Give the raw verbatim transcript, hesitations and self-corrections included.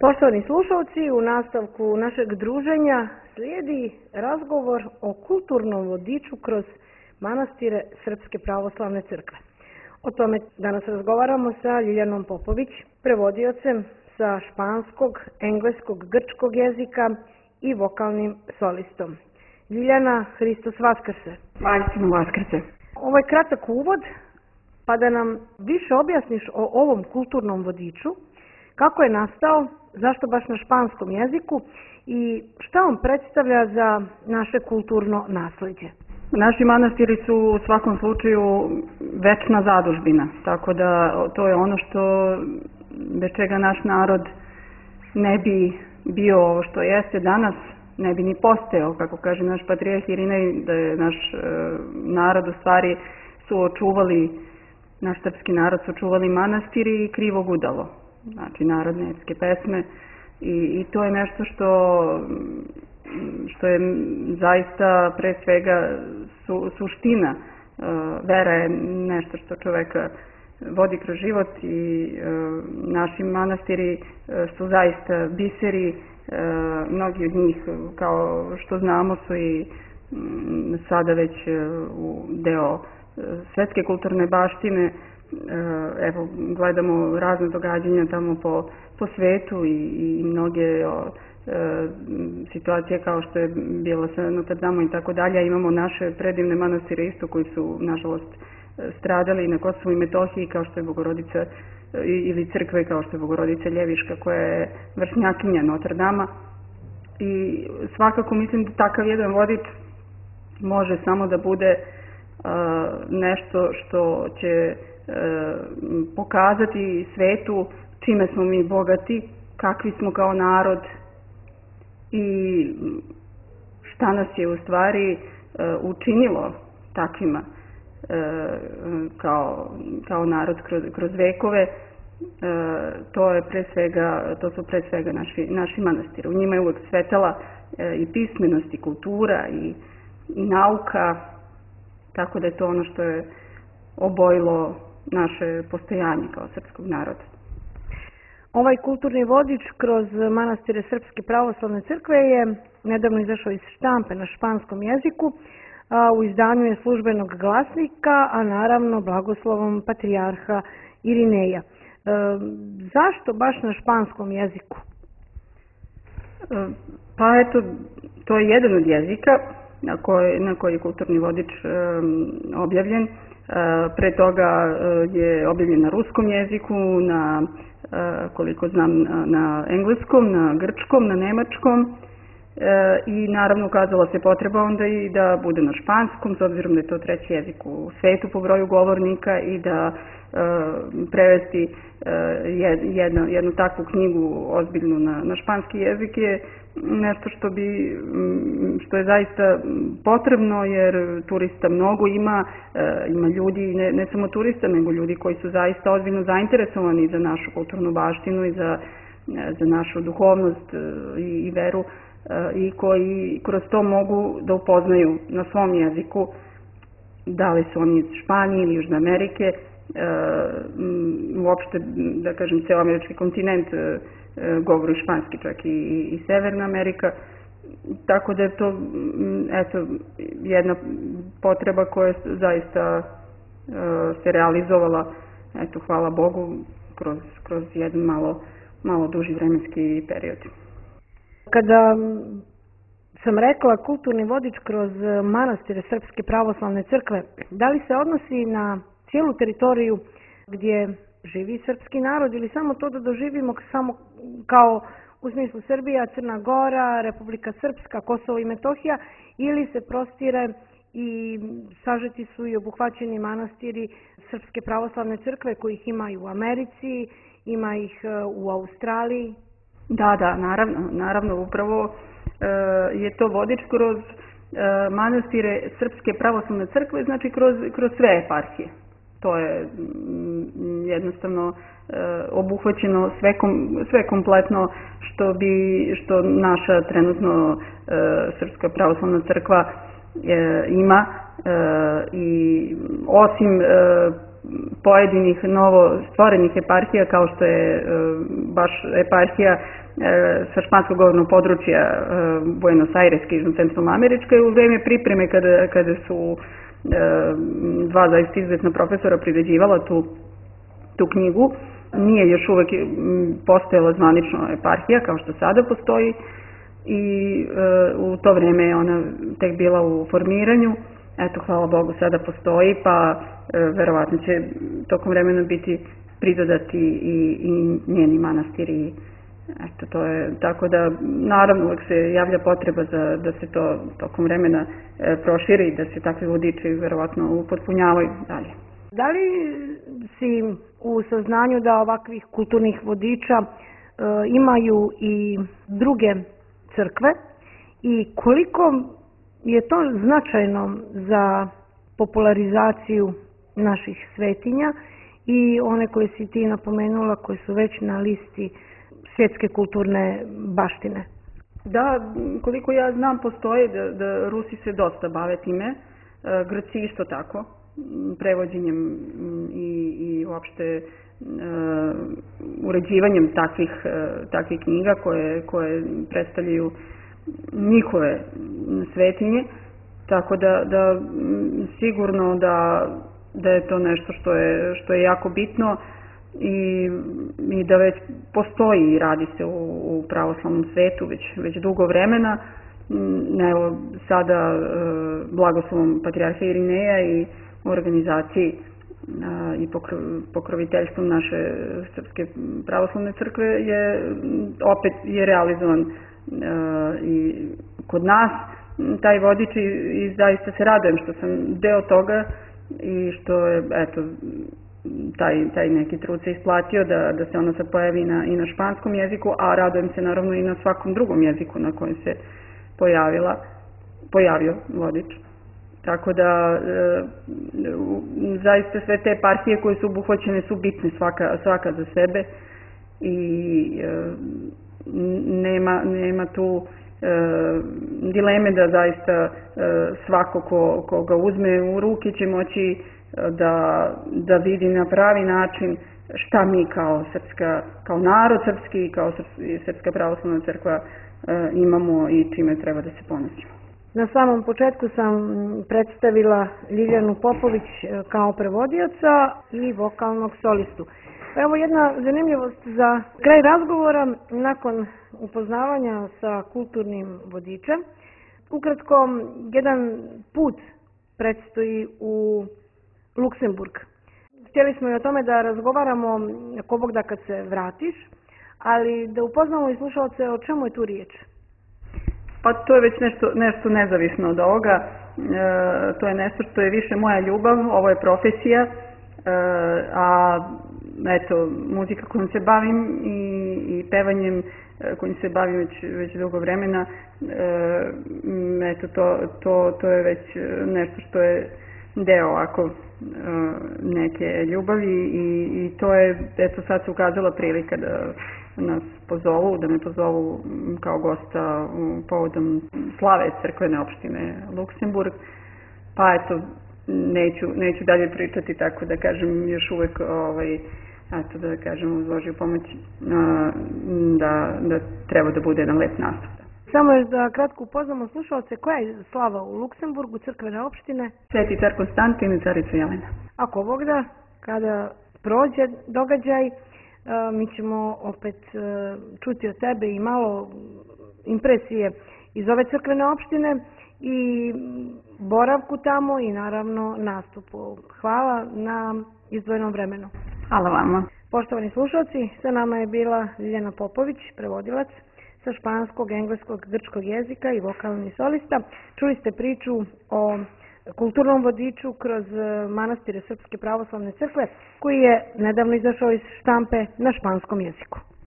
Poštovani slušalci, u nastavku našeg druženja slijedi razgovor o kulturnom vodiču kroz manastire Srpske pravoslavne crkve. O tome danas razgovaramo sa Ljiljanom Popović, prevodiocem sa španskog, engleskog, grčkog jezika i vokalnim solistom. Ljiljana, Hristos Vaskrse. Vaistinu Vaskrse. Ovo je kratak uvod, pa da nam više objasniš o ovom kulturnom vodiču, kako je nastao, zašto baš na španskom jeziku i šta on predstavlja za naše kulturno naslijeđe. Naši manastiri su u svakom slučaju večna zadužbina, tako da to je ono što bez čega naš narod ne bi bio ovo što jeste danas, ne bi ni postojao, kako kaže naš patrijarh Irinej, da je naš e, narod u stvari su očuvali, naš srpski narod su očuvali manastiri i krivo gudalo, znači narodne epske pesme i, i to je nešto što, što je zaista pre svega su, suština. E, vera je nešto što čoveka vodi kroz život i e, naši manastiri e, su zaista biseri. E, mnogi od njih, kao što znamo, su i m, sada već e, u deo e, svetske kulturne baštine. E, evo, gledamo razne događanja tamo po, po svetu i, i mnoge o, e, situacije kao što je bila sa Notre Dame i tako dalje. Imamo naše predivne manastire isto koji su, nažalost, stradali na Kosovu i Metohiji, kao što je Bogorodica ili crkve kao što je Bogorodica Ljeviška, koja je vršnjakinja Notre Dama. I svakako mislim da takav jedan vodič može samo da bude uh, nešto što će uh, pokazati svetu čime smo mi bogati, kakvi smo kao narod i šta nas je u stvari uh, učinilo takvima kao, kao narod kroz, kroz vekove. E, to je pre svega, to su pre svega naši, naši manastiri. U njima je uvek svetala e, i pismenost i kultura i, i nauka, tako da je to ono što je obojilo naše postojanje kao srpskog naroda. Ovaj kulturni vodič kroz manastire Srpske pravoslavne crkve je nedavno izašao iz štampe na španskom jeziku, a u izdanju je Službenog glasnika, a naravno blagoslovom patrijarha Irineja. E, zašto baš na španskom jeziku? E, pa eto, to je jedan od jezika na koji, na koji je kulturni vodič e, objavljen. E, pre toga je objavljen na ruskom jeziku, na, e, koliko znam, na engleskom, na grčkom, na nemačkom. E, i naravno ukazala se potreba onda i da bude na španskom, s obzirom da je to treći jezik u svetu po broju govornika i da e, prevesti e, jednu, jednu takvu knjigu ozbiljnu na, na španski jezik je nešto što bi, što je zaista potrebno, jer turista mnogo ima, e, ima ljudi, ne, ne samo turista, nego ljudi koji su zaista ozbiljno zainteresovani za našu kulturnu baštinu i za, za našu duhovnost i, i veru, i koji kroz to mogu da upoznaju na svom jeziku, da li su oni iz Španije ili Južne Amerike, uopšte, da kažem, ceo američki kontinent govori španski, čak i, i Severna Amerika, tako da je to eto, jedna potreba koja zaista se realizovala, eto, hvala Bogu, kroz, kroz jedan malo, malo duži vremenski period. Kada sam rekla kulturni vodič kroz manastire Srpske pravoslavne crkve, da li se odnosi na cijelu teritoriju gdje živi srpski narod ili samo to da doživimo samo kao u smislu Srbija, Crna Gora, Republika Srpska, Kosovo i Metohija, ili se prostire i sažeti su i obuhvaćeni manastiri Srpske pravoslavne crkve kojih ima i u Americi, ima ih u Australiji? Da, da, naravno, naravno, upravo e, je to vodič kroz e, manastire Srpske pravoslavne crkve, znači kroz, kroz sve eparhije. To je m, jednostavno e, obuhvaćeno sve, kom, sve kompletno što bi, što naša trenutno e, Srpska pravoslavna crkva e, ima e, i osim e, pojedinih novo stvorenih eparhija kao što je e, baš eparhija sa španskog govornog područja Buenos Aireske i Centralnoameričke. U vreme pripreme kada, kada su dva zaista izuzetna profesora priređivala tu, tu knjigu, nije još uvek postojala zvanično eparhija kao što sada postoji i u to vreme je ona tek bila u formiranju. Eto, hvala Bogu, sada postoji, pa verovatno će tokom vremena biti pridodati i, i njeni manastiri. Eto, to je, tako da, naravno, uvek se javlja potreba za, da se to tokom vremena e, proširi i da se takvi vodiči verovatno upotpunjavaju dalje. Da li si u saznanju da ovakvih kulturnih vodiča e, imaju i druge crkve i koliko je to značajno za popularizaciju naših svetinja i one koje si ti napomenula koji su već na listi svjetske kulturne baštine? Da, koliko ja znam, postoje da, da Rusi se dosta bave time, Grci isto tako, prevođenjem i, i uopšte uh, uređivanjem takvih, uh, takvih knjiga koje, koje predstavljaju njihove svetinje, tako da, da sigurno da, da je to nešto što je, što je jako bitno i, i da već postoji i radi se u, u pravoslavnom svetu već, već dugo vremena. Evo, sada e, blagoslovom patrijarha Irineja i u organizaciji a, i pokro, pokroviteljstvom naše Srpske pravoslavne crkve je opet je realizovan a, i kod nas taj vodič i, i zaista se radujem što sam deo toga i što je, eto, taj, taj neki trud se isplatio da, da se ono sad pojavi na, i na španskom jeziku, a radujem se naravno i na svakom drugom jeziku na kojem se pojavila, pojavio vodič. Tako da e, zaista sve te eparhije koje su obuhvaćene su bitne svaka, svaka za sebe i e, nema, nema tu e, dileme da zaista e, svako ko, ko ga uzme u ruke će moći da, da vidi na pravi način šta mi kao srpska, kao narod srpski, kao Srpska pravoslavna crkva imamo i čime treba da se ponosimo. Na samom početku sam predstavila Ljiljanu Popović kao prevodioca i vokalnog solistu. Evo jedna zanimljivost za kraj razgovora nakon upoznavanja sa kulturnim vodičem. Ukratko, jedan put predstoji u Luksemburg. Htjeli smo i o tome da razgovaramo ko Bog da kad se vratiš, ali da upoznamo i slušalce o čemu je tu riječ. Pa to je već nešto, nešto nezavisno od ovoga. E, to je nešto što je više moja ljubav, ovo je profesija, e, a eto, muzika kojom se bavim i, i pevanjem kojim se bavim već, već dugo vremena, e, eto, to, to, to je već nešto što je deo ako neke ljubavi i, i to je, eto, sad se ukazala prilika da nas pozovu, da me pozovu kao gosta povodom slave crkvene opštine Luksemburg, pa eto, neću, neću dalje pričati, tako da kažem još uvek, ovaj, eto, da kažem uz Božju pomoć, da, da treba da bude jedan lep nastup. Samo još da kratko upoznamo slušalce, koja je slava u Luksemburgu, crkvene opštine? Sveti car Konstantin i carica Jelena. Ako Bog da, kada prođe događaj, mi ćemo opet čuti od tebe i malo impresije iz ove crkvene opštine i boravku tamo i naravno nastupu. Hvala na izdvojenom vremenu. Hvala vama. Poštovani slušalci, sa nama je bila Ljiljana Popović, prevodilac sa španskog, engleskog, grčkog jezika i vokalni solista. Čuli ste priču o kulturnom vodiču kroz manastire Srpske pravoslavne crkve koji je nedavno izašao iz štampe na španskom jeziku.